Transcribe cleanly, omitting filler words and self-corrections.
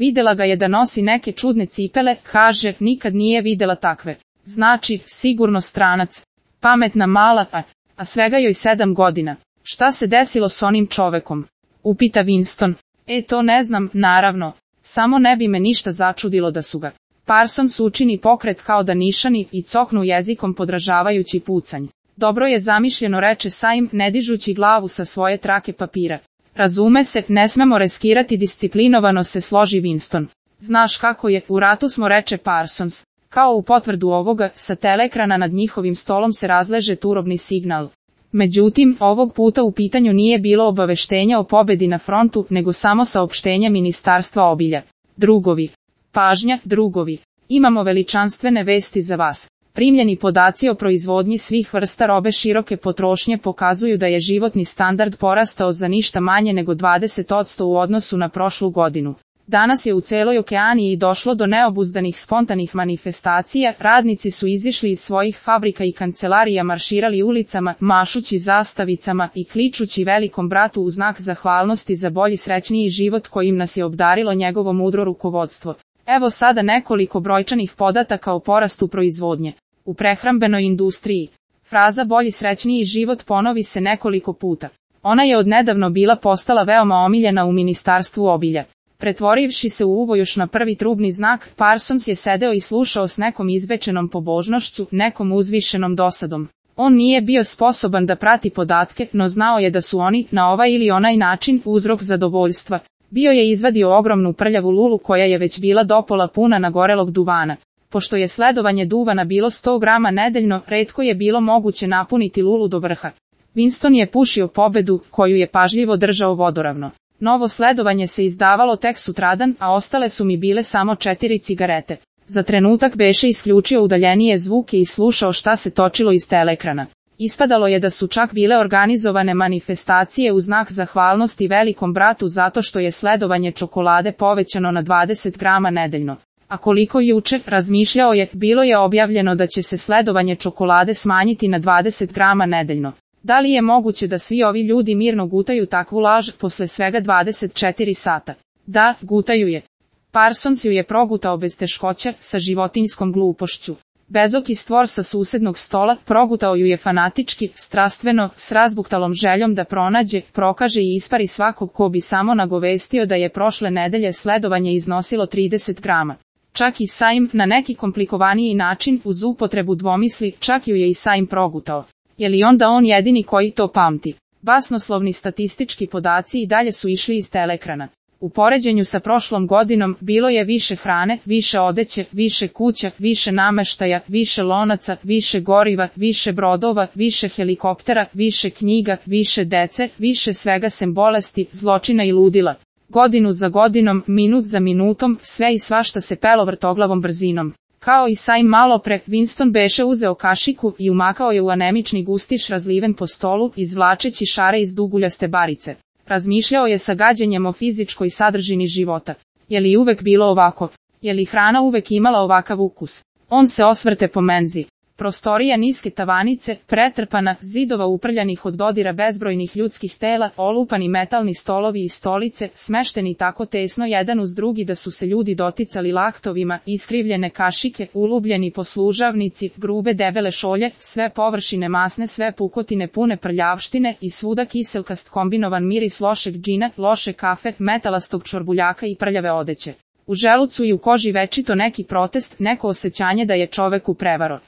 Videla ga je da nosi neke čudne cipele, kaže, nikad nije videla takve. Znači, sigurno stranac. Pametna mala, a svega joj 7 godina. Šta se desilo s onim čovekom? Upita Winston. To ne znam, naravno. Samo ne bi me ništa začudilo da su ga. Parsons učini pokret kao da nišani i coknu jezikom podražavajući pucanj. Dobro je zamišljeno, reče Saim, ne dižući glavu sa svoje trake papira. Razume se, ne smemo reskirati, disciplinovano se složi Winston. Znaš kako je, u ratu smo, reče Parsons. Kao u potvrdu ovoga, sa teleekrana nad njihovim stolom se razleže turobni signal. Međutim, ovog puta u pitanju nije bilo obaveštenja o pobedi na frontu, nego samo saopštenje Ministarstva obilja. Drugovi. Pažnja, drugovi. Imamo veličanstvene vesti za vas. Primljeni podaci o proizvodnji svih vrsta robe široke potrošnje pokazuju da je životni standard porastao za ništa manje nego 20% u odnosu na prošlu godinu. Danas je u celoj Okeaniji došlo do neobuzdanih spontanih manifestacija, radnici su izišli iz svojih fabrika i kancelarija, marširali ulicama, mašući zastavicama i kličući velikom bratu u znak zahvalnosti za bolji, srećniji život kojim nas je obdarilo njegovo mudro rukovodstvo. Evo sada nekoliko brojčanih podataka o porastu proizvodnje. U prehrambenoj industriji. Fraza bolji, srećniji život ponovi se nekoliko puta. Ona je odnedavno bila postala veoma omiljena u Ministarstvu obilja. Pretvorivši se u uvo još na prvi trubni znak, Parsons je sedeo i slušao s nekom izbečenom pobožnošću, nekom uzvišenom dosadom. On nije bio sposoban da prati podatke, no znao je da su oni, na ovaj ili onaj način, uzrok zadovoljstva. Bio je izvadio ogromnu prljavu lulu koja je već bila dopola puna nagorelog duvana. Pošto je sledovanje duvana bilo 100 grama nedeljno, retko je bilo moguće napuniti lulu do vrha. Winston je pušio pobedu, koju je pažljivo držao vodoravno. Novo sledovanje se izdavalo tek sutradan, a ostale su mi bile samo 4 cigarete. Za trenutak beše isključio udaljenije zvuke i slušao šta se točilo iz teleekrana. Ispadalo je da su čak bile organizovane manifestacije u znak zahvalnosti velikom bratu zato što je sledovanje čokolade povećano na 20 grama nedeljno. A koliko juče, razmišljao je, bilo je objavljeno da će se sledovanje čokolade smanjiti na 20 grama nedeljno. Da li je moguće da svi ovi ljudi mirno gutaju takvu laž posle svega 24 sata? Da, gutaju je. Parsons ju je progutao bez teškoća, sa životinjskom glupošću. Bezoki stvor sa susednog stola progutao ju je fanatički, strastveno, s razbuktalom željom da pronađe, prokaže i ispari svakog ko bi samo nagovestio da je prošle nedelje sledovanje iznosilo 30 grama. Čak i Saim, na neki komplikovaniji način, uz upotrebu dvomisli, čak ju je i Saim progutao. Je li onda on jedini koji to pamti? Basnoslovni statistički podaci i dalje su išli iz teleekrana. U poređenju sa prošlom godinom bilo je više hrane, više odeće, više kuća, više nameštaja, više lonaca, više goriva, više brodova, više helikoptera, više knjiga, više dece, više svega sem bolesti, zločina i ludila. Godinu za godinom, minut za minutom, sve i svašta se pelo vrtoglavom brzinom. Kao i Saim malo pre, Winston beše uzeo kašiku i umakao je u anemični gustiš razliven po stolu, izvlačeći šare iz duguljaste barice. Razmišljao je sa gađenjem o fizičkoj sadržini života. Je li uvek bilo ovako? Je li hrana uvek imala ovakav ukus? On se osvrte po menzi. Prostorija niske tavanice, pretrpana, zidova uprljanih od dodira bezbrojnih ljudskih tela, olupani metalni stolovi i stolice, smešteni tako tesno jedan uz drugi da su se ljudi doticali laktovima, iskrivljene kašike, ulubljeni poslužavnici, grube debele šolje, sve površine masne, sve pukotine pune prljavštine i svuda kiselkast kombinovan miris lošeg džina, loše kafe, metalastog čorbuljaka i prljave odeće. U želucu i u koži večito neki protest, neko osjećanje da je čoveku prevaro.